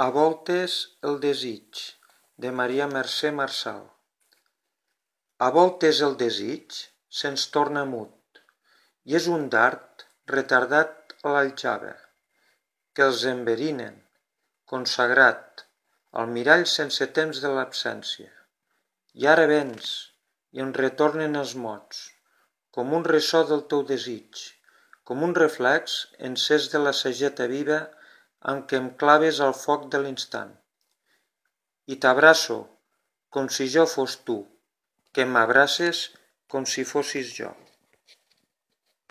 A voltes el desig, de Maria Mercè Marçal. A voltes el desig se'ns torna mut, i és un dard retardat a l'aljava, que els enverinen, consagrat al mirall sense temps de l'absència. I ara vens, i em retornen els mots, com un ressò del teu desig, com un reflex encès de la sageta viva amb què em claves al foc de l'instant. I t'abraço com si jo fos tu, que m'abraces com si fossis jo.